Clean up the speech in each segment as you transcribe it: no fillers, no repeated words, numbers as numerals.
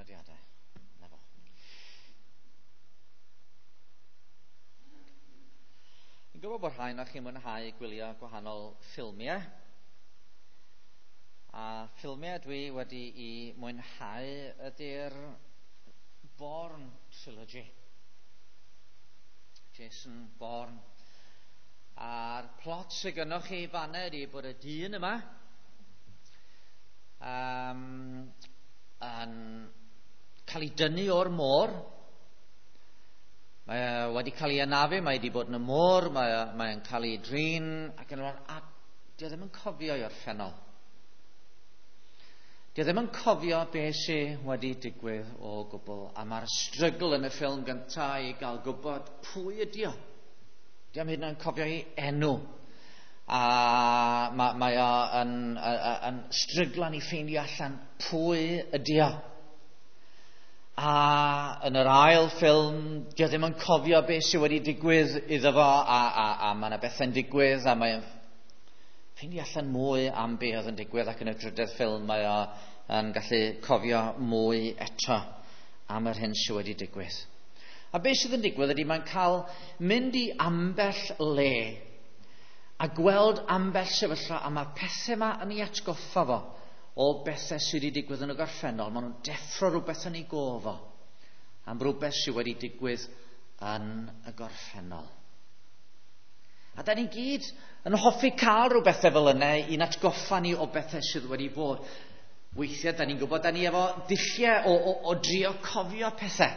Nodiadau. Na fo. Fi'n gwybod bod rhai o'ch chi'n mwynhau gwylio gwahanol ffilmiau. A ffilmiau dwi wedi i mwynhau ydy'r Bourne Trilogy. Jason Bourne. A'r plot sydd gynnoch chi fanna ydy bod y dyn yma yn cael ei dynnu o'r môr. Mae e wedi cael ei anafu, mae wedi bod yn y môr, mae'n cael ei drin, ac yn y a dio ddim yn cofio i orffennol. Dio ddim yn cofio beth sydd wedi digwydd o gwbl, a mae'r strygl yn y ffilm gyntaf i gael gwybod pwy ydi o. Dio am hyd yn oed yn cofio ei enw. A mae o yn stryglan i ffeindio allan pwy ydi o. A yn yr ail ffilm, dio ddim yn cofio beth sydd wedi digwydd iddo fo, a mae yna bethau'n digwydd, a mae'n ffeindio allan mwy am beth oedd yn digwydd, ac yn y drydedd ffilm mae o yn gallu cofio mwy eto am yr hyn sydd wedi digwydd. A beth sydd yn digwydd ydy mae'n cael mynd i ambell le a gweld ambell sefyllfa, a mae pethau yma yn ei atgoffa fo o bethau sydd wedi digwydd yn y gorffennol. Maen nhw'n deffro rhywbeth yn ei gof o am rhywbeth sydd wedi digwydd yn y gorffennol. A da ni gyd yn hoffi cael rhywbeth fel yna i'n atgoffa ni o bethau sydd wedi bod. Weithiau, da ni'n gwybod, da ni efo dulliau o drio cofio pethau.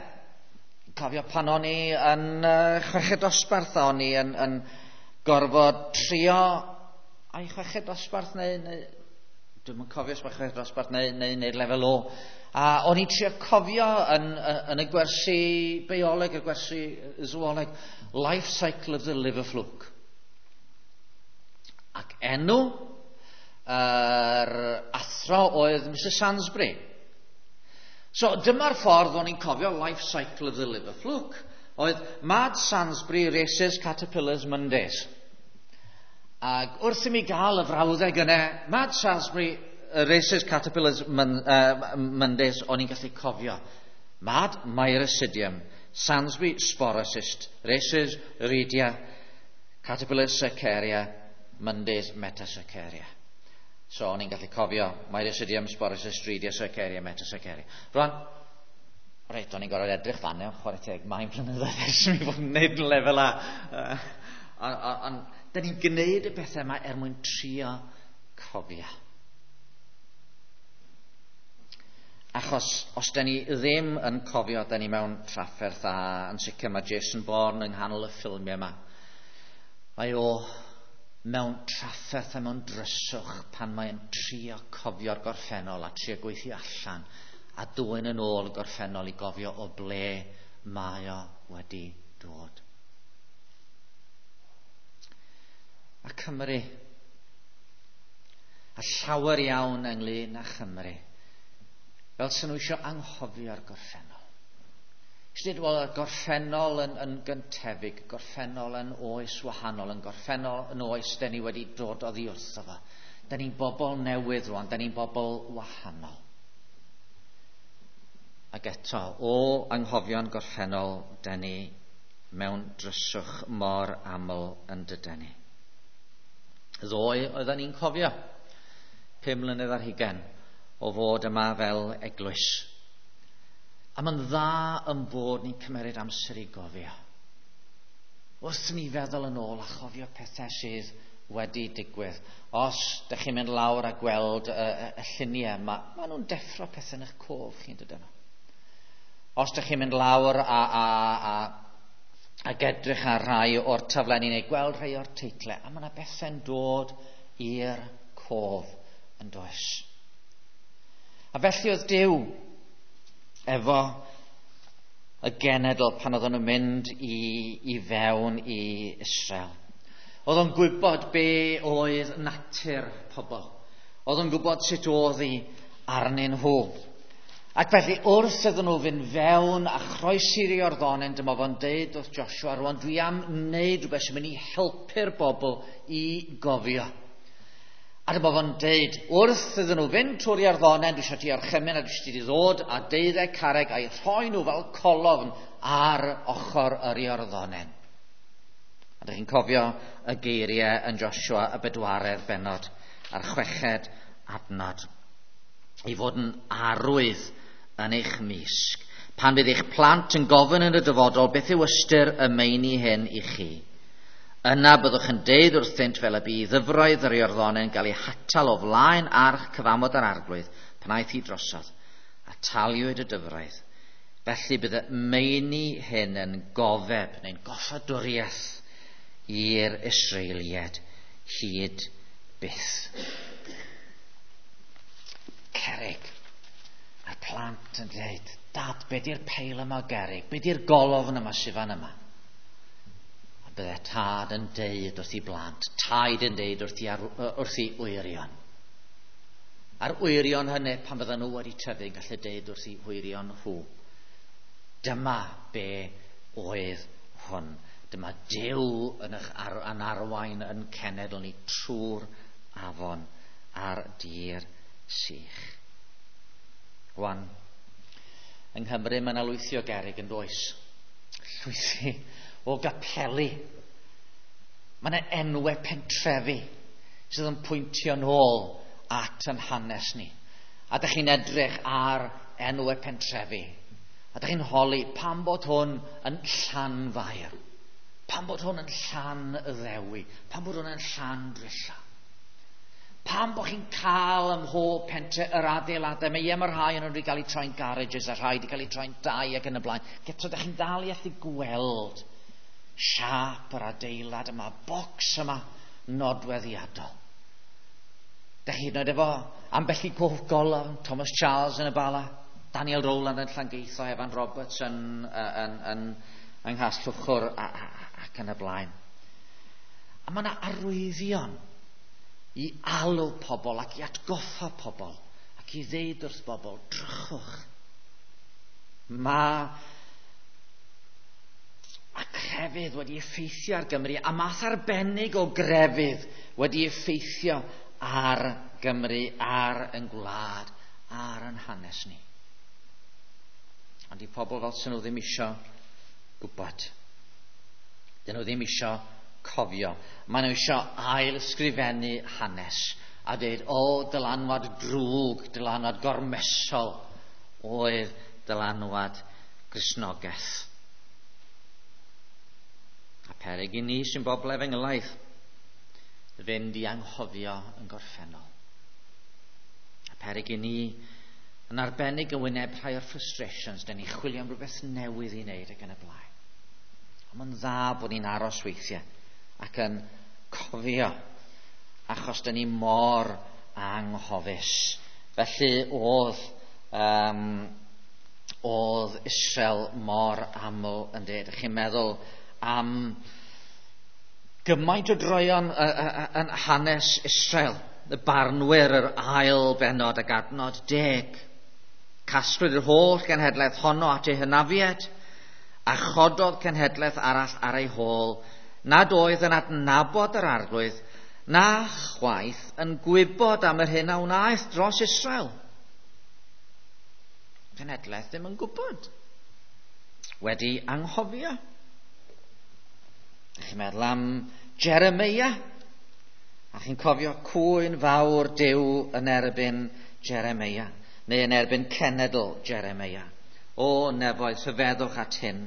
Cofio pan o'n i yn chweched dosbarth, a o'n i yn gorfod trio ai chweched dosbarth neu dwi'm yn cofio os mae chweched dosbarth neu lefel O. A o'n i'n trio cofio yn y gwersi bioleg, y gwersi zooleg, Life Cycle of the Liver Fluke. Ac enw yr athro oedd Mrs Sansbury. So dyma'r ffordd o'n i'n cofio Life Cycle of the Liver Fluke. Oedd Mad Sansbury Races Caterpillars Mondays. Ac wrth i mi gael y frawddeg yna, Mad Sansbury Races Caterpillars Mondays, o'n i'n gallu cofio. Mad Miracidium, Sansbury Sporocyst, Races Redia, Caterpillars Cercaria, Mondays Metacercaria. So o'n i'n gallu cofio Miracidium, Sporocyst, Redia, Cercaria, Metacercaria. Rwan, reit, o'n i'n gorfod edrych fan hyn, chwarae teg, mae'n blynyddoedd ers i mi fod yn neud yn lefel A. Ond da ni'n gwneud y pethau yma er mwyn trio cofio. Achos os da ni ddim yn cofio, da ni mewn trafferth, a yn sicr mae Jason Bourne yng nghanol y ffilmiau yma. Mae o mewn trafferth a mewn dryswch pan mae'n trio cofio'r gorffennol a trio gweithio allan a dwyn yn ôl y gorffennol i gofio o ble mae o wedi dod. A Cymru, a llawer iawn ynglyn â Chymru, fel sy'n nhw eisiau anghofio'r gorffennol. Eisiau dweud, wel, y gorffennol yn gyntefig, gorffennol yn oes wahanol, yn gorffennol yn oes da ni wedi dod oddi wrtho fo. Da ni'n bobl newydd rwan, da ni'n bobl wahanol. Ac eto, o anghofio'n gorffennol, da ni mewn dryswch mor aml yn dydan ni. Ddoe oedden ni'n cofio 5 mlynedd ar hugain o fod yma fel eglwys. A mae'n dda yn bod ni'n cymeryd amser i gofio. Wrth ni feddwl yn ôl a chofio pethau sydd wedi digwydd. Os ydych chi'n mynd lawr a gweld y lluniau, ma nhw'n deffro pethau yn eich cof chi'n dydyn nhw. Os ydych chi'n mynd lawr ac edrych ar rhai o'r taflenni neu gweld rhai o'r teitlau, a mae yna bethau'n dod i'r cof yn does. A felly oedd Duw efo y genedl pan oedden nhw'n mynd i fewn i Israel. Oedd o'n gwybod be oedd natur pobl. Oedd o'n gwybod sut oedd hi arnyn nhw. Ac felly wrth iddyn nhw fynd fewn a chroesi'r Iorddonen, dyma fo'n deud wrth Joshua, rwan dwi am wneud rhywbeth sy'n mynd i helpu'r bobl i gofio. A dyma fo'n deud, wrth iddyn nhw fynd trwy'r Iorddonen, dwi eisiau ti orchymyn a dwi eisiau ti ddod a deuddeg carreg a'i rhoi nhw fel colofn ar ochr yr Iorddonen. A dych chi'n cofio y geiriau yn Joshua y bedwaredd bennod a'r chweched adnod. I fod yn arwydd yn eich mysg. Pan fydd eich plant yn gofyn yn y dyfodol beth yw ystyr y meini hyn i chi, yna byddwch yn deud wrthynt fel y bu ddyfroedd yr Iorddonen gael ei hatal o flaen arch cyfamod yr Arglwydd pan aeth hi drosodd, a taliwyd y dyfroedd. Felly bydd y meini hyn yn gofeb neu'n goffadwriaeth i'r Israeliaid hyd byth. Cerrig. A'r plant yn dweud, Dad, be di'r peil yma o gerrig? Be di'r golofn yma sydd fan yma? A bydde tad yn deud wrth i blant, taid yn deud wrth i, wrth i wyrion. A'r wyrion hynny, pan fydden nhw wedi tyfu, yn gallu deud wrth i wyrion nhw. Dyma be oedd hwn. Dyma Duw yn eich ar, yn arwain yn cenedl ni trwy'r afon a'r dir sych. Rwan, yng Nghymru mae yna lwythi o gerrig yn does. Llwythi o gapeli. Mae yna enwau pentrefi sydd yn pwyntio nôl at yn hanes ni. A dych chi'n edrych ar enwau pentrefi. A dych chi'n holi pam bod hwn yn Llanfair. Pam bod hwn yn Llanddewi. Pam bod hwn yn Llandrilla. Pam bod chi'n cael ym mhob pentre yr adeiladau, mae ie, mae rhai yn wedi cael eu troi'n garages a rhai wedi cael eu troi'n dai ac yn y blaen. Eto, ydych chi'n dal i allu gweld siâp yr adeilad yma, bocs yma nodweddiadol. Dych chi'n oed efo ambell i gof golofn, Thomas Charles yn y Bala, Daniel Rowland yn Llangeitho, Evan Roberts yn, yn, yn, yng Nghasllwchwr ac yn y blaen. A mae yna arwyddion i alw pobl ac i atgoffa pobl ac i ddeud wrth bobl, drychwch. Mae a crefydd wedi effeithio ar Gymru, a math arbennig o grefydd wedi effeithio ar Gymru, ar yn gwlad, ar yn hanes ni. Ond i pobl fel sy'n nhw ddim isio gwybod. Dyn nhw ddim isio cofio. Maen nhw isio ail ysgrifennu hanes a dweud, o, dylanwad drwg, dylanwad gormesol oedd dylanwad Gristnogaeth. A peryg i ni sy'n bobl efengylaidd fynd i anghofio yn gorffennol. A peryg i ni yn arbennig yn wyneb rhai o'r frustrations, dyn ni chwilio am rhywbeth newydd i wneud ac yn y blaen. Ond mae'n dda bod ni'n aros weithiau ac yn cofio, achos dyn ni mor anghofus. Felly oedd, um, oedd Israel mor aml yn dweud. Chi'n meddwl am gymaint o droeon yn hanes Israel, y barnwyr yr ail bennod ac adnod 10. Casglwyd yr holl genhedlaeth honno at ei hynafiad, a chododd cenhedlaeth arall ar ei hôl, nad oedd yn adnabod yr Arglwydd, na chwaith yn gwybod am yr hyn a wnaeth dros Israel. Cenhedlaeth ddim yn gwybod. Wedi anghofio. Ydych chi'n meddwl am Jeremia? A chi'n cofio cwyn fawr Duw yn erbyn Jeremia, neu yn erbyn cenedl Jeremia. O nefoedd, rhyfeddwch at hyn,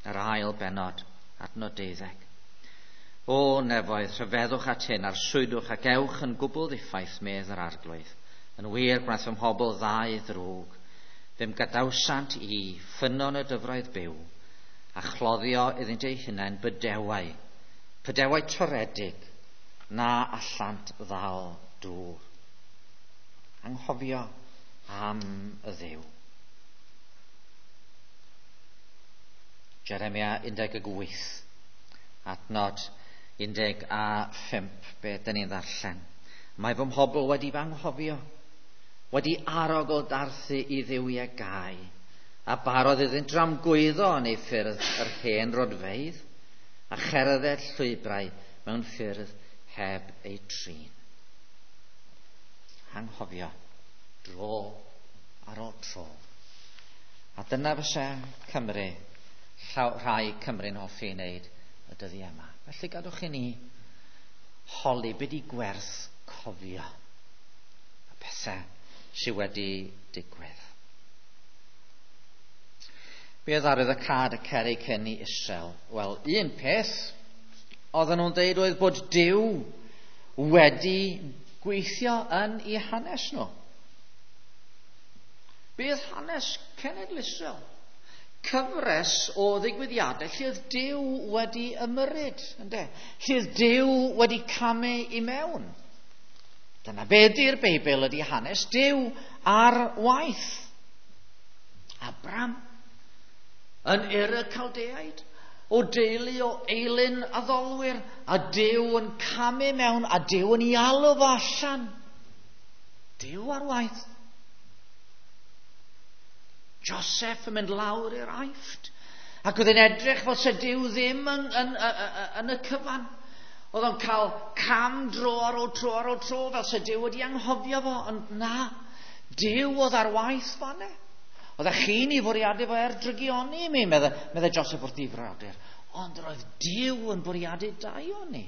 yr ail bennod, adnod 12. O nefoedd, rhyfeddwch at hyn, arswydwch ac ewch yn gwbl ddiffaith, medd yr Arglwydd. Yn wir, gwnaeth fy mhobl ddau ddrwg. Fe'm gadawsant i ffynnon y dyfroedd byw, a chloddio iddynt eu hunain bydewau, pydewau toredig, na allant ddal dŵr. Anghofio am y Dduw. Jeremia 18, adnod 15, be dyn ni'n ddarllen. Mae fy mhobl wedi fy anghofio, wedi arogl darthu i dduwiau gau, a barodd iddynt dramgwyddo yn ei ffyrdd yr hen rodfeydd, a cherdded llwybrau mewn ffyrdd heb eu trin. hanghofio dro ar ôl tro. A dyna fysa Cymru, rhai Cymru'n hoffi ei wneud y dyddiau yma. Felly gadwch i ni holi be di gwerth cofio y pethau sydd wedi digwydd. Be oedd arwyddocâd y cerrig hyn i Israel? Wel, un peth oedden nhw'n deud oedd bod Duw wedi gweithio yn eu hanes nhw. Be oedd hanes cenedl Israel? Cyfres o ddigwyddiadau lle oedd Duw wedi ymyrryd, ynde? Lle oedd Duw wedi camu i mewn. Dyna be ydy'r Beibl, ydy hanes Duw ar waith. Abram yn Ur y Caldeaid, o deulu o eilun addolwyr, a Duw yn camu mewn, a Duw yn ei alw fo allan. Duw ar waith. Joseph yn mynd lawr i'r Aifft, ac oedd e'n edrych fel se Duw ddim yn, yn, yn, yn y cyfan. Oedd o'n cael cam dro ar ôl tro ar ôl tro, fel se Duw wedi anghofio fo, ond na, Duw oedd ar waith fanne. Oedd chi'n ei fwriadu fo er drygioni i mi, medde, medde Joseph wrth ei frodyr. Ond roedd Duw yn bwriadu daioni.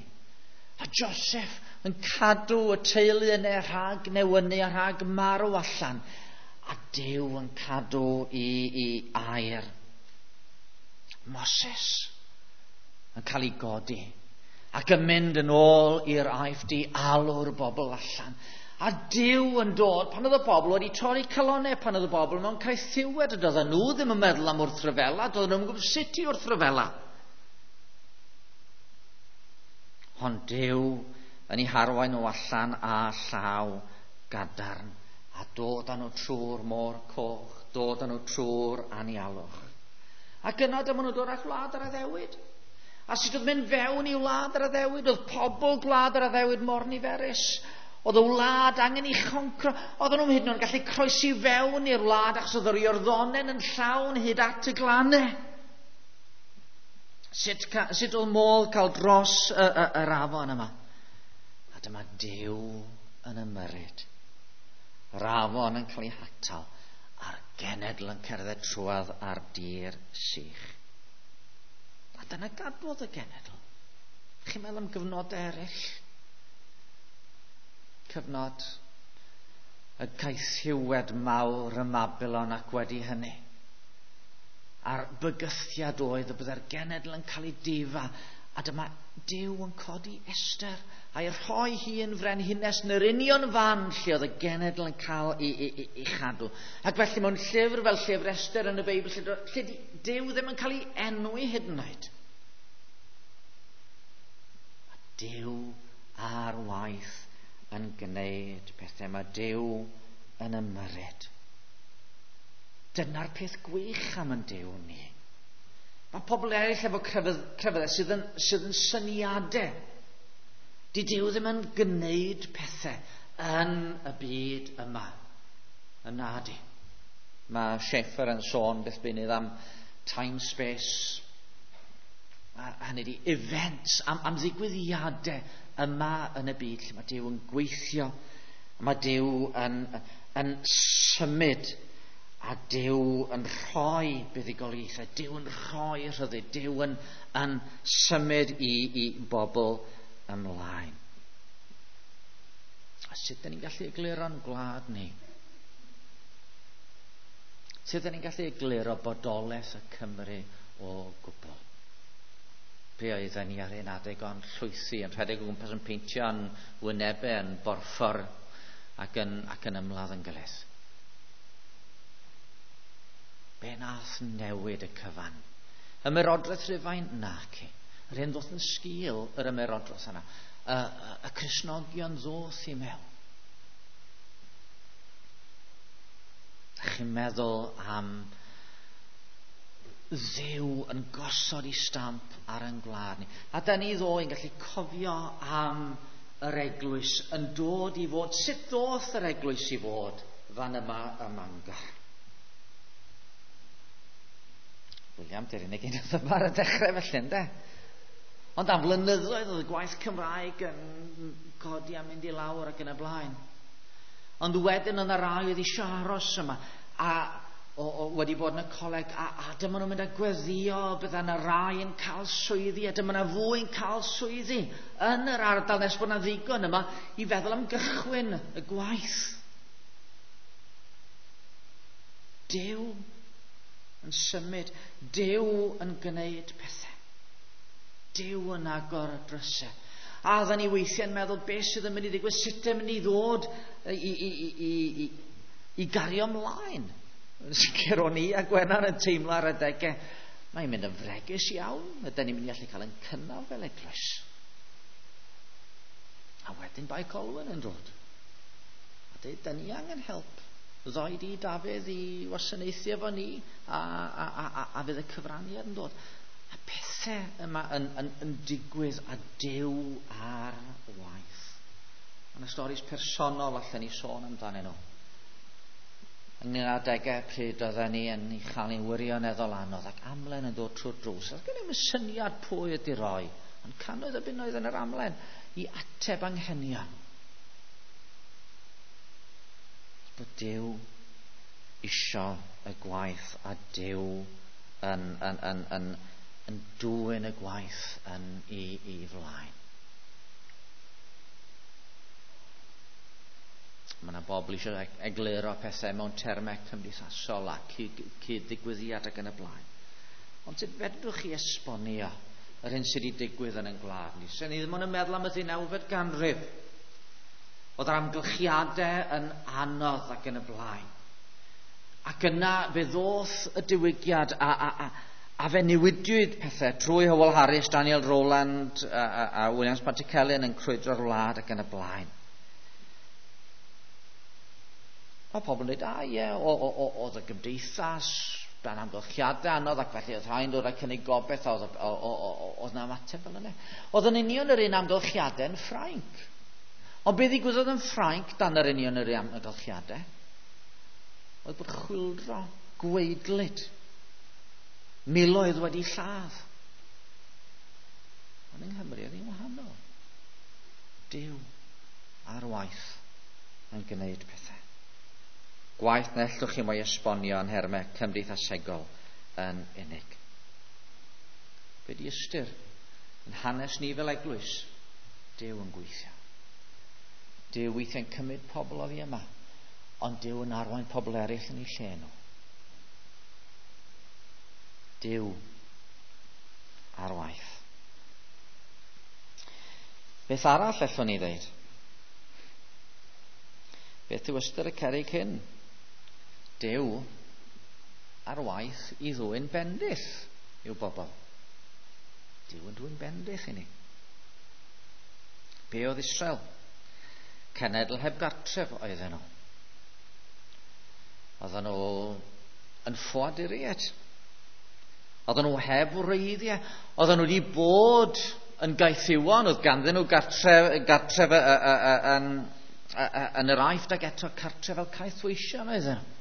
A Joseph yn cadw y teulu yna rhag newynu a rhag marw allan. A Duw yn cadw i, i air. Moses yn cael ei godi ac yn mynd yn ôl i'r Aifft i alw'r bobl allan. A Duw yn dod, pan oedd y bobl wedi torri calonnau, pan oedd y bobl mewn caethiwed, a doedden nhw ddim yn meddwl am wrthryfela, doedden nhw'n gwybod sut i wrthryfela. Ond Duw yn ei harwain nhw allan â llaw gadarn, a dod â nhw trwy'r môr coch, dod â nhw trwy'r anialwch. Ac yna dyma nhw dod â gwlad yr addewid. A sut oedd mynd fewn i wlad yr addewid? Oedd pobl gwlad yr addewid mor niferus. Oedd y wlad angen ei choncro. Oedden nhw'n hyd yn oed yn gallu croesi fewn i'r wlad achos oedd yr Iorddonen yn llawn hyd at y glannau. Sut, sut oedd modd cael dros y, y, yr afon yma? A dyma Duw yn ymyrryd. Yr afon yn cael ei hatal a'r genedl yn cerdded trwodd ar dir sych. A dyna gadwodd y genedl. Chi'n meddwl am gyfnodau eraill? Cyfnod y caethiwed mawr ym Mabilon ac wedi hynny. A'r bygythiad oedd y byddai'r genedl yn cael ei difa. A dyma Duw yn codi Esther a'i rhoi hi yn frenhines yn yr union fan lle oedd y genedl yn cael ei, ei, ei, ei chadw. Ac felly mewn llyfr fel llyfr Esther yn y Beibl, lle, lle Duw ddim yn cael ei enwi hyd yn oed. Mae Duw ar waith yn gwneud pethau. Mae Duw yn ymyrryd. Dyna'r peth gwych am yn Duw ni. Mae pobl eraill efo crefydd, crefyddau sydd yn, sydd yn syniadau. Di Duw ddim yn gwneud pethau yn y byd yma. Yna di. Mae Schaeffer yn sôn beth bynnag am time space, a hynny di events, am, am ddigwyddiadau yma yn y byd lle mae Duw yn gweithio, mae Duw yn, yn symud a Duw yn rhoi buddugoliaethau, Duw yn rhoi rhyddid, Duw yn, yn symud i, i bobl ymlaen. A sut dyn ni'n gallu egluro'n gwlad ni? Sut dyn ni'n gallu egluro bodolaeth y Cymru o gwbl? Be oedden ni ar un adeg ond llwythi yn rhedeg o gwmpas yn peintio yn wynebau yn borffor ac yn, ac yn ymladd yn gilydd. Be nath newid y cyfan? Ymerodraeth Rhufain? Naci. Yr hyn ddoth yn sgil yr ymerodraeth yna. Y, y, y Cristnogion ddoth i mewn. Chi'n meddwl am Dduw yn gosod i stamp ar ein gwlad ni. A da ni ddoe yn gallu cofio am yr eglwys yn dod i fod. Sut ddoth yr eglwys i fod fan yma ym Mangor? William, dy'r unig un oedd yma ar y dechrau felly, ynde? Ond am flynyddoedd oedd y gwaith Cymraeg yn codi a mynd i lawr ac yn y blaen. Ond wedyn oedd yna rai oedd eisiau aros yma a wedi bod yn y coleg a dyma nhw'n mynd a gweddio, bydda yna rai yn cael swyddi a dyma yna fwy yn cael swyddi yn yr ardal nes bod yna ddigon yma i feddwl am gychwyn y gwaith. Duw yn symud, Duw yn gwneud pethau. Duw yn agor y drysau. A oedden ni weithiau'n meddwl beth sydd yn mynd i ddigwydd, sut yn mynd i ddod i gario ymlaen. Yn sicr o'n i a Gwenan yn teimlo ar adegau, mae'n mynd yn fregus iawn, ydyn ni'n mynd i allu cael ein cynnal fel eglwys. A wedyn Bae Colwyn yn dod. A dweud, da ni angen help. Ddoi di Dafydd i wasanaethu efo ni, a fydd y cyfraniad yn dod. A pethau yma yn digwydd a Duw ar waith. Mae yna storis personol allan ni sôn amdanyn nhw. Ynglyn â adegau pryd oedden ni yn ei chael ni'n wirioneddol anodd ac amlen yn dod trwy'r drws. Oedd gen i'm syniad pwy ydy roi, ond cannoedd o bunnoedd yn yr amlen i ateb anghenion. Bod Duw isio y gwaith a Duw yn dwyn y gwaith yn i flaen. Mae yna bobl eisiau egluro pethau mewn termau cymdeithasol a cyd-ddigwyddiad ac yn y blaen. Ond sut fedrwch chi esbonio yr hyn sydd wedi digwydd yn ein gwlad ni? Sen ni ddim ond yn meddwl am y 19fed ganrif. Oedd yr amgylchiadau yn anodd ac yn y blaen. Ac yna fe ddoth y diwygiad a fe newidiwyd pethau trwy Howell Harris, Daniel Rowland a Williams Pantycelyn yn crwydro'r wlad ac yn y blaen. Mae pobl yn dweud, ie, oedd y gymdeithas dan amgylchiadau anodd ac felly oedd rhai'n dod â cynnig gobaith a oedd 'na ymateb fel yna. Oedd yn union yr un amgylchiadau yn Ffrainc. Ond beth ddigwyddodd yn Ffrainc dan yr union yr un amgylchiadau? Oedd bod chwyldro gwaedlyd. Miloedd wedi lladd. Ond yng Nghymru oedd hi'n wahanol. Duw ar waith yn gwneud pethau. Gwaith na ellwch chi mo'i esbonio yn nhermau cymdeithasegol yn unig. Be di ystyr yn hanes ni fel eglwys? Duw yn gweithio. Duw weithiau'n cymryd pobl oddi yma, ond Duw yn arwain pobl eraill yn eu lle nhw. Duw ar waith. Beth arall allwn ni ddeud? Beth yw ystyr y cerrig hyn? Duw ar waith i ddwyn bendith i'w bobl. Duw yn dwyn bendith i ni. Be oedd Israel? Cenedl heb gartref oedden nhw. Oedden nhw yn ffoaduriaid. Oedden nhw heb wreiddiau. Oedden nhw wedi bod yn gaethiwon. Oedd ganddyn nhw gartref yn yr Aifft ac eto cartref fel caethweision oedden nhw.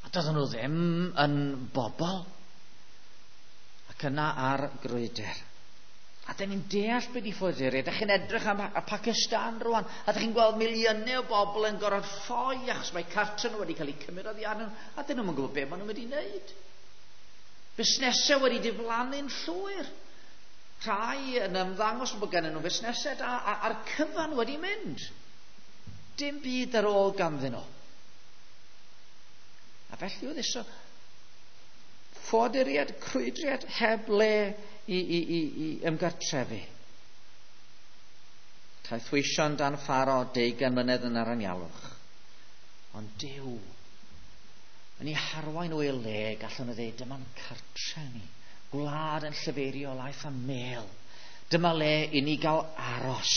A doedden nhw ddim yn bobl. Ac yna ar grwydr. A dyn ni'n deall beth i ffoaduriaid. Dych chi'n edrych am y Pakistan rwan, a dych chi'n gweld miliynau o bobl yn gorfod ffoi achos mae cartref nhw wedi cael eu cymryd oddi arnyn nhw, a dyn nhw'm yn gwybod beth maen nhw'n mynd i wneud. Busnesau wedi diflannu'n llwyr. Rhai yn ymddangos bod gennyn nhw fusnesau da, a'r cyfan wedi mynd. Dim byd ar ôl ganddyn nhw. A felly oedd isio ffoaduriaid, crwydriad heb le i ymgartrefu. Caethweision dan Pharo 20 mlynedd yn yr anialwch. Ond Duw yn ei harwain o ei le, gallwn nhw ddweud, dyma'n cartre ni. Gwlad yn llifeirio laeth a mêl. Dyma le i ni gael aros.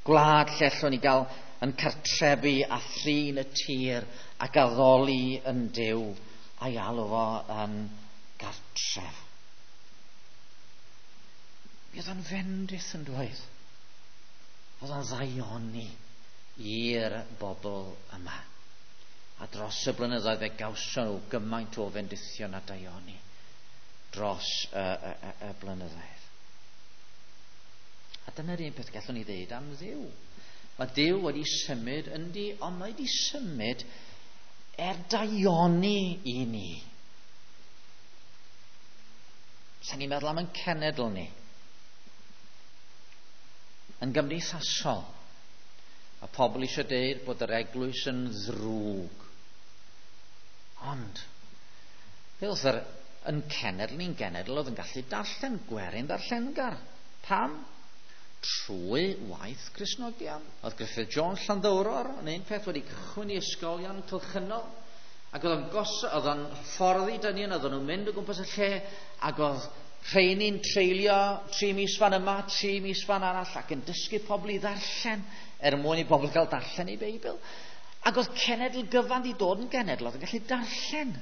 Gwlad lle allwn ni gael yn cartrefu a thrin y tir ac addoli yn Duw a'i alw fo yn gartref. Mi oedd o'n fendith yn dweud. Oedd o'n ddaioni i'r bobl yma. A dros y blynyddoedd fe gawson nhw gymaint o fendithion a daioni dros y blynyddoedd. A dyna'r un peth gallwn ni ddeud am Dduw. Mae Duw wedi symud yndi, ond mae wedi symud er daioni i ni. Sa'n ni'n meddwl am yn cenedl ni. Yn gymdeithasol. Mae pobl eisiau deud bod yr eglwys yn ddrwg. Ond, fe oedd yr yn cenedl ni'n genedl oedd yn gallu darllen gwerin ddarllengar. Pam? Trwy waith Cristnogion. Oedd Griffith Jones Llanddowror yn un peth wedi cychwyn i ysgolion cylchynol. Ac oedd o'n oedd o'n hyfforddi dynion, oedden nhw'n mynd o gwmpas y lle, ac oedd rheini'n treulio 3 mis fan yma, 3 mis fan arall, ac yn dysgu pobl i ddarllen, er mwyn i bobl gael darllen eu Beibl. Ac oedd cenedl gyfan di dod yn genedl, oedd yn gallu darllen.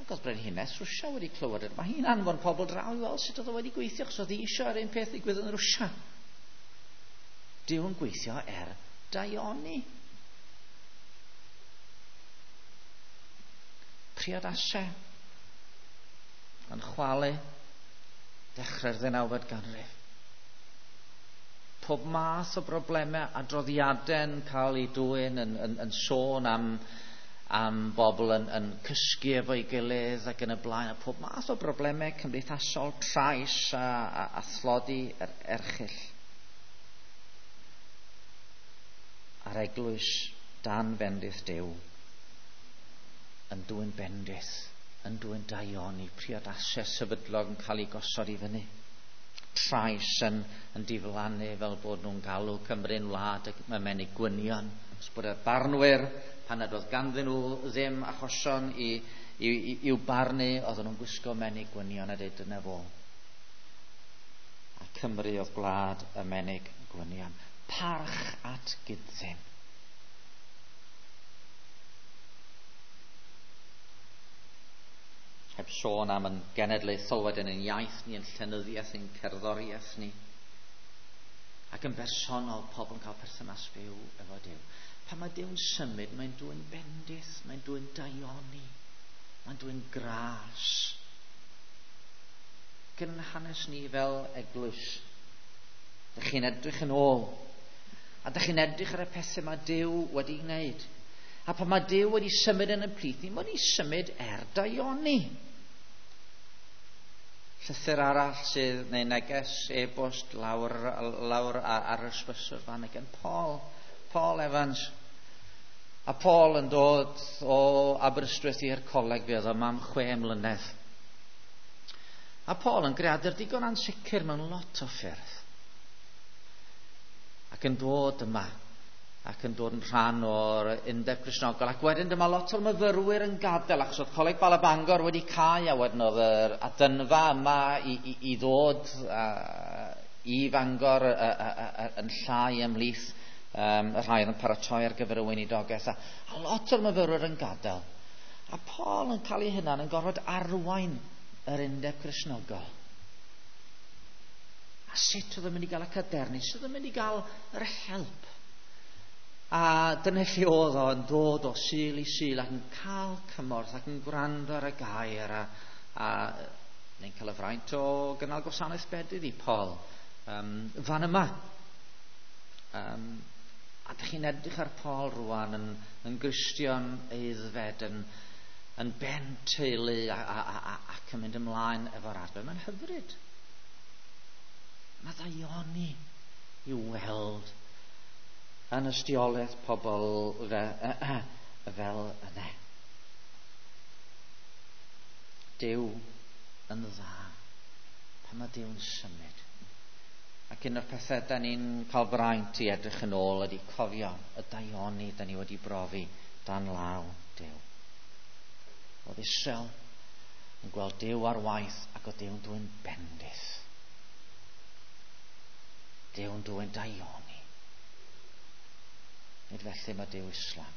Ac oedd Brenhines Rwsia wedi clywed yr... Mae hi'n anfon pobl draw i weld sut oedd o wedi gweithio, achos oedd hi eisiau yr un peth ddigwydd yn Rwsia. Duw yn gweithio er daioni. Priodasau yn chwalu dechrau'r ddeunawfed ganrif. Pob math o broblemau, adroddiadau'n cael eu dwyn yn sôn am bobl yn cysgu efo'i gilydd ac yn y blaen, a pob math o broblemau cymdeithasol, trais a thlodi erchyll. A'r eglwys dan bendith Duw yn dwyn bendith, yn dwyn daioni, priodasau sefydlog yn cael ei gosod i fyny. Trais yn diflannu fel bod nhw'n galw Cymru'n wlad y menig gwynion. Os bod y barnwyr, pan nad oedd ganddyn nhw ddim achosion i'w barnu, oedden nhw'n gwisgo menig gwynion a dweud dyna fo. A Cymru oedd gwlad y menig gwynion. Parch at gydsyn. Heb sôn am yn genedlaethol wedyn yn iaith ni, yn llenyddiaeth, yn cerddoriaeth ni. Ac yn bersonol, pobl yn cael perthynas fyw efo Duw. Pan mae Duw'n symud, mae'n dwyn bendith, mae'n dwyn daioni, mae'n dwyn gras. Ac yn hanes ni fel eglwys, dych chi'n edrych yn ôl, a dych chi'n edrych ar y pethau mae Duw wedi wneud. A pan mae Duw wedi symud yn y plith ni, mae wedi symud er daioni. Llythyr arall sydd, neu neges e-bost lawr ar yr ysbyswr fan gan Paul Evans. A Paul yn dod o Aberystwyth i'r coleg, fe oedd yma am 6 mlynedd. A Paul yn greadur digon ansicr mewn lot o ffyrdd. Ac yn dod yma, ac yn dod yn rhan o'r Undeb Cristnogol. Ac wedyn dyma lot o'r myfyrwyr yn gadael, achos oedd Coleg Bala Bangor wedi cau, a wedyn oedd yr adynfa yma i ddod i Fangor yn llai ymhlith y rhai oedd yn paratoi ar gyfer y weinidogaeth. A lot o'r myfyrwyr yn gadael. A Paul yn cael ei hunan yn gorfod arwain yr Undeb Cristnogol. A sut oedd yn mynd i gael y cadernid, sut oedd yn mynd i gael yr help. A dyna lle oedd o yn dod o Sul i Sul ac yn cael cymorth ac yn gwrando ar y gair a neu'n cael y fraint o gynnal gwasanaeth bedydd i Paul fan yma. A dych chi'n edrych ar Paul rwan yn Gristion aeddfed, yn ben teulu ac yn mynd ymlaen efo'r arfer. Mae'n hyfryd. Mae ddaioni i weld yn ystiolaeth pobl fel yna. Duw yn dda. Pan mae Duw'n symud. Ac un o'r pethau da ni'n cael braint i edrych yn ôl ydy cofio y daioni da ni wedi brofi dan law Duw. Oedd Israel yn gweld Duw ar waith ac oedd Duw'n dwyn bendith. Duw'n dwyn daioni. Nid felly mae Duw Islam.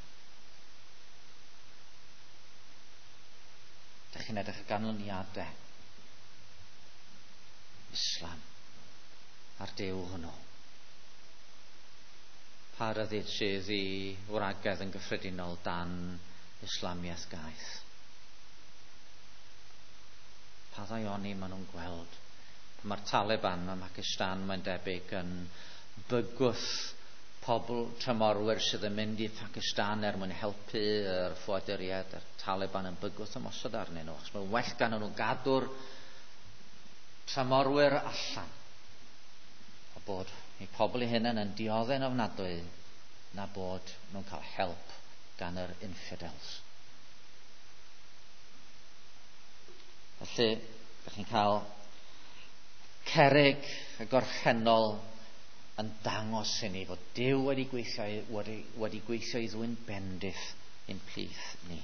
Dych chi'n edrych ar ganlyniadau Islam a'r Duw hwnnw. Pa ryddid sydd i wragedd yn gyffredinol dan Islamiaeth gaeth? Pa ddaioni maen nhw'n gweld Mae'r Taliban ym Mhakistan, mae'n debyg, yn bygwth pobl tramorwyr sydd yn mynd i Pakistan er mwyn helpu yr ffoaduriaid, yr Taliban yn bygwth ymosod arnyn nhw, achos mae'n well gan nhw gadw'r tramorwyr allan. A bod eu pobl eu hunain yn dioddef'n ofnadwy na bod nhw'n cael help gan yr infidels. Felly, ydych chi'n cael cerrig y gorffennol yn dangos i ni fod Duw wedi gweithio, wedi, wedi gweithio i ddwyn bendith i'n plith ni.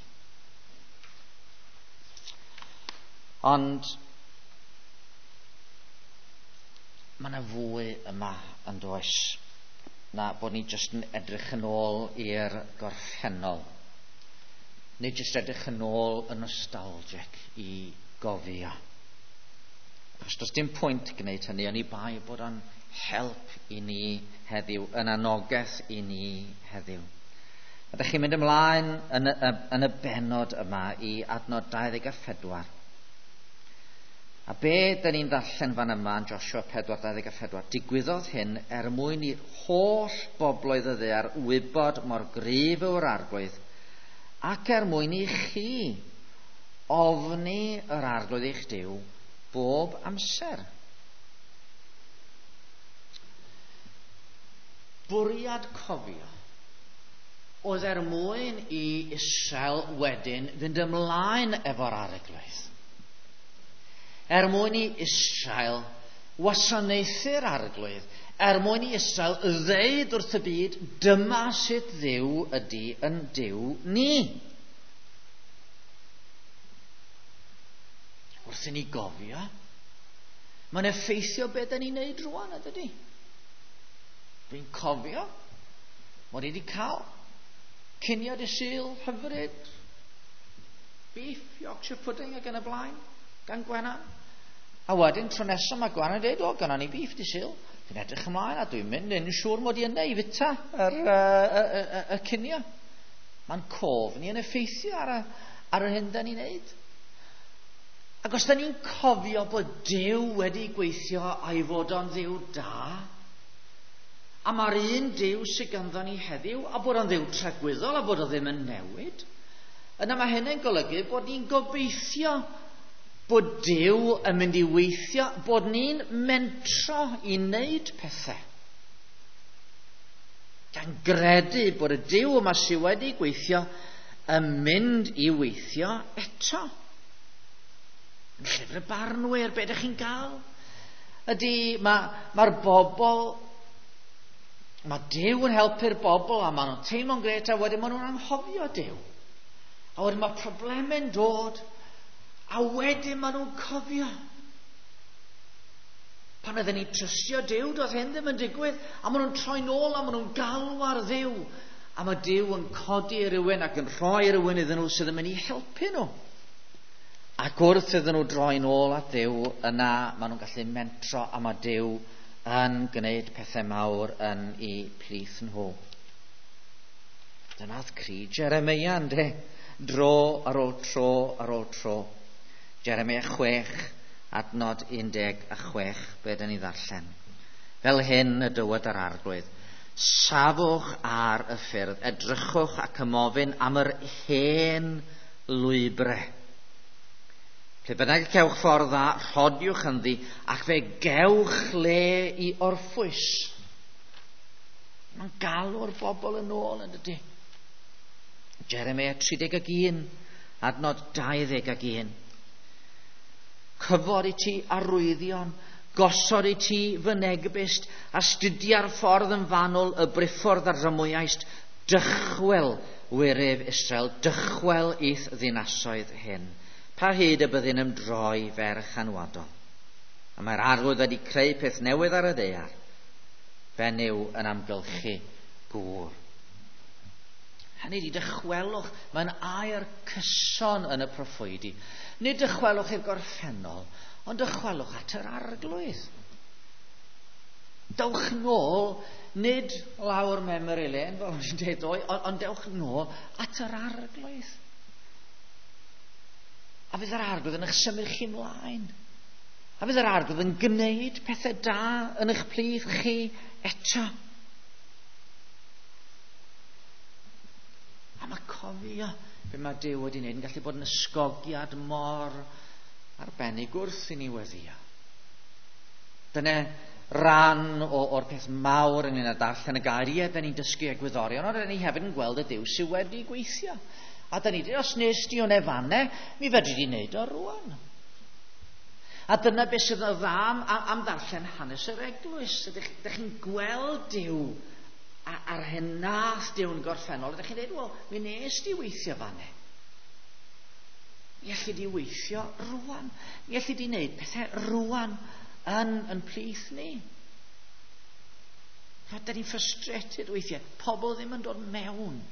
Ond mae yna fwy yma yn does na bod ni jyst yn edrych yn ôl i'r gorffennol. Nid jyst edrych yn ôl yn nostalgic i gofio. Achos does dim pwynt gwneud hynny, oni bai bod o'n help i ni heddiw, yn anogaeth i ni heddiw. A ydych chi'n mynd ymlaen yn y, yn y bennod yma i adnod 24. A be dyn ni'n ddarllen fan yma yn Joshua 4:24? Digwyddodd hyn er mwyn i holl bobloedd y ddaear wybod mor gryf yw'r Arglwydd, ac er mwyn i chi ofni yr Arglwydd eich Duw bob amser. Bwriad cofio oedd er mwyn i Israel wedyn fynd ymlaen efo'r Arglwydd. Er mwyn i Israel wasanaethu'r Arglwydd, er mwyn i Israel ddeud wrth y byd, dyma sut Dduw ydy yn Duw ni. Wrth i ni gofio, mae'n effeithio beth da ni'n neud rwan, ydy? Dwi'n cofio mod i wedi cael cinio dy Sul hyfryd, beef, Yorkshire pudding ac yn y blaen, gan Gwenan. A wedyn, tro nesaf mae Gwenan yn dweud, o, gynnon ni beef dy Sul. Dwi'n edrych ymlaen a dwi'n mynd yn siŵr mod i yna i fita yr, y, y, y, y cinio. Mae'n cof ni yn effeithio ar, y, ar yr hyn da ni'n neud. Ac os da ni'n cofio bod Duw wedi gweithio a'i fod o'n Dduw da, a mae'r un Duw sydd ganddo ni heddiw, a bod o'n Dduw tragwyddol a bod o ddim yn newid, yna mae hynny'n golygu bod ni'n gobeithio bod Duw yn mynd i weithio, bod ni'n mentro i wneud pethau. Gan gredu bod y Duw yma sydd wedi gweithio yn mynd i weithio eto. Yn llyfr y barnwyr, be ydych chi'n gael? Ydy, mae'r ma bobl, mae Duw yn helpu'r bobl a maen nhw'n teimlo'n gret a wedyn maen nhw'n anghofio Duw. A wedyn mae problemau'n dod a wedyn maen nhw'n cofio. Pan oedden ni'n trystio Duw, doedd hyn ddim yn digwydd. A maen nhw'n troi nôl a maen nhw'n galw ar Dduw. A mae Duw yn codi rhywun ac yn rhoi rhywun iddyn nhw sydd yn mynd i helpu nhw. Ac wrth iddyn nhw droi nôl at Dduw, yna maen nhw'n gallu mentro a mae Duw yn gwneud pethau mawr yn eu plith nhw. Dyna'r cri Jeremia, ynddo? Dro ar ôl tro ar ôl tro. Jeremia 6, adnod 16, be dyn ni ddarllen. Fel hyn y dywed yr Arglwydd, safwch ar y ffyrdd, edrychwch ac ymofyn am yr hen lwybrau. Lle bynnag y cewch ffordd dda, rhodiwch ynddi, ac fe gewch le i orffwys. Mae'n galw'r bobl yn ôl yn dydy. Jeremia 31, adnod 21. Cyfod i ti arwyddion, gosod i ti fynegbyst, astudia'r ffordd yn fanwl, y briffordd ar dramwyaist, dychwel wyryf Israel, dychwel i'th ddinasoedd hyn. Pa hyd y byddin ymdroi ferch anwadol? A mae'r Arglwydd wedi creu peth newydd ar y ddaear, benyw yn amgylchu gŵr. Hynny ydi, dychwelwch, mae'n air cyson yn y proffwydi. Nid dychwelwch i'r gorffennol, ond dychwelwch at yr Arglwydd. Dewch nôl, nid lawr memory lane, fel o'n i'n dweud ddoe, ond, ond dewch nôl at yr Arglwydd. A fydd yr Arglwydd yn eich symud chi ymlaen. A fydd yr Arglwydd yn gwneud pethau da yn eich plith chi eto. A mae cofio be mae Duw wedi wneud yn gallu bod yn ysgogiad mor arbennig wrth i ni weddio. Dyna ran o'r peth mawr ynglyn â darllen y gair. Ie, da ni'n dysgu egwyddorion, ond da ni hefyd yn gweld y Duw sydd wedi gweithio. A da ni dweud, os nes di o'n efanne, mi fedri di wneud o rwan. A dyna beth sydd yn dda am ddarllen hanes yr eglwys. Ydych chi'n gweld Duw a'r hyn nath Duw yn gorffennol. Ydych chi'n dweud, wel, mi nes di weithio fanne. Mi allu di weithio rwan. Mi allu di wneud pethau rwan yn plith ni. A da ni'n frustrated weithiau. Pobl ddim yn dod mewn.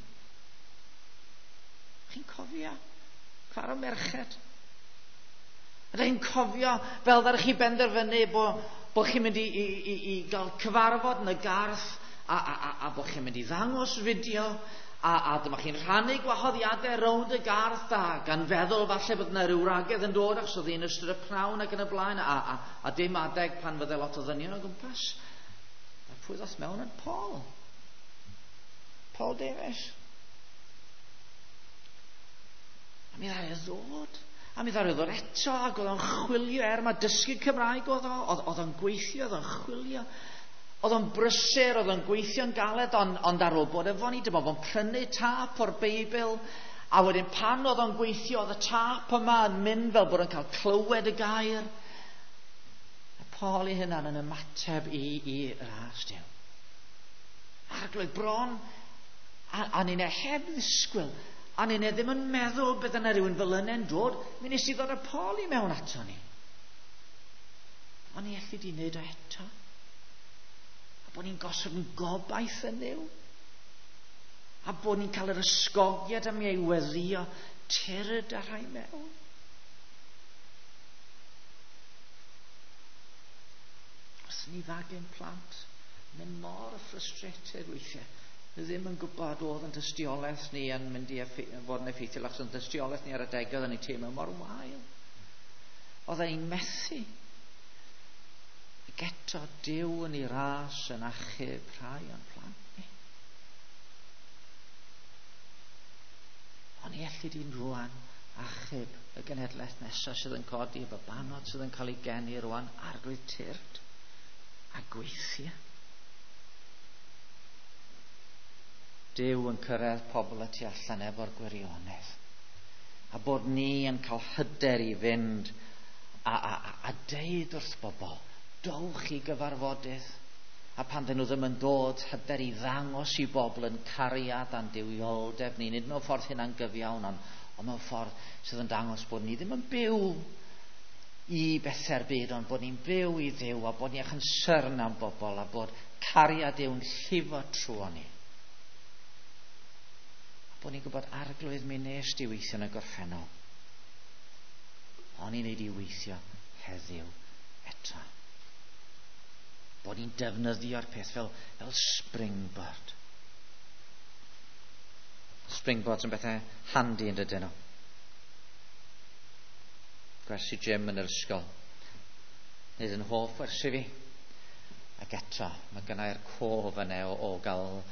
Chi'n cofio? Cwar o merched. Ydych chi'n cofio fel ddaru chi benderfynu bod chi'n mynd i gael cyfarfod yn y garth a bod chi'n mynd i ddangos fideo a dyma chi'n rhannu gwahoddiadau rownd y garth a gan feddwl falle bod yna rhyw wragedd yn dod achos oedd hi'n ystod y pnawn ac yn y blaen a dim adeg pan fydde lot o ddynion o gwmpas. A pwy ddoth mewn yn Paul? Paul Davies. A mi ddaru ddod. A mi ddaru ddod eto, ac oedd o'n chwilio, er mae dysgu Cymraeg oedd o, oedd o'n gweithio, oedd o'n chwilio. Oedd o'n brysur, oedd o'n gweithio'n galed, ond ar ôl bod efo ni, dyma fo'n prynu tâp o'r Beibl, a wedyn pan oedd o'n gweithio, oedd y tâp yma yn mynd fel bod o'n cael clywed y gair. A Paul ei hunan yn ymateb i ras Duw. Arglwydd bron, a ni'n heb ddisgwyl, a ni'n ddim yn meddwl bydd yna rhywun fel yna'n dod, mi nes i ddod â Paul i mewn ato ni. Ond ni allu di wneud o eto. A bod ni'n gosod yn gobaith yn Nuw. A bod ni'n cael yr ysgogiad am ei weddio tyrd a rhai mewn. Os ni fagu'n plant, mynd mor frustrated weithiau. Ni ddim yn gwybod oedd yn tystiolaeth ni yn mynd i fod yn effeithiol, achos yn tystiolaeth ni ar adegau oedd yn ei teimlo mor wael. Oedd e'n methu. Ac eto Duw yn ei ras yn achub rhai o'n plant ni. Ond ni allu di'n rwan achub y genhedlaeth nesaf sydd yn codi, y babanod sydd yn cael ei geni rwan, Arglwydd tyrd a gweithio. Duw yn cyrraedd pobl y tu allan efo'r gwirionedd. A bod ni yn cael hyder i fynd a deud wrth bobl, dowch i gyfarfodydd. A pan dyn nhw ddim yn dod, hyder i ddangos i bobl yn cariad a'n duwioldeb ni. Nid mewn ffordd hynna'n gyfiawn, ond mewn ffordd sydd yn dangos bod ni ddim yn byw i bethau'r byd, ond bod ni'n byw i Dduw, a bod ni â chonsyrn am bobl, a bod cariad Duw'n llifo trwy ni. Bod ni'n gwybod Arglwydd mi nes di weithio yn y gorffennol. O'n i'n neud i weithio heddiw eto. Bod ni'n defnyddio'r peth fel springboard. Springboards yn bethau handy yn dydyn nhw. Gwersi gym yn yr ysgol. Nid yn hoff wersi fi. Ac eto, mae gennai'r cof yna o gael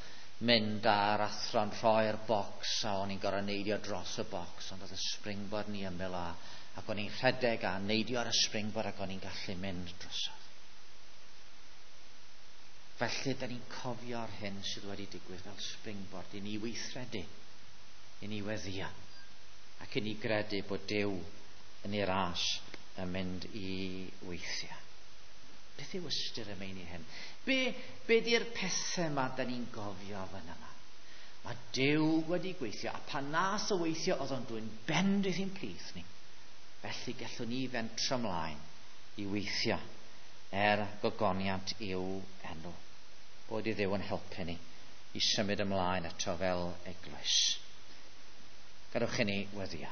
mynd a'r athro'n rhoi'r bocs a o'n i'n gorfod neidio dros y bocs, ond oedd y springboard ni ymyl ac o'n i'n rhedeg a neidio ar y springboard ac o'n i'n gallu mynd drosodd. Felly, da ni'n cofio'r hyn sydd wedi digwydd fel springboard i ni weithredu, i ni weddio, ac i ni gredu bod Duw yn ei ras yn mynd i weithio. Beth yw ystyr y meini hyn? Be di'r pethau yma da ni'n gofio fan yma? Mae Duw wedi gweithio, a pan nath o weithio, oedd o'n dwyn bendith i'n plith ni. Felly gallwn ni fentro ymlaen i weithio er gogoniant i'w enw. Bod i Dduw yn helpu ni i symud ymlaen eto fel eglwys. Gadewch i ni weddio.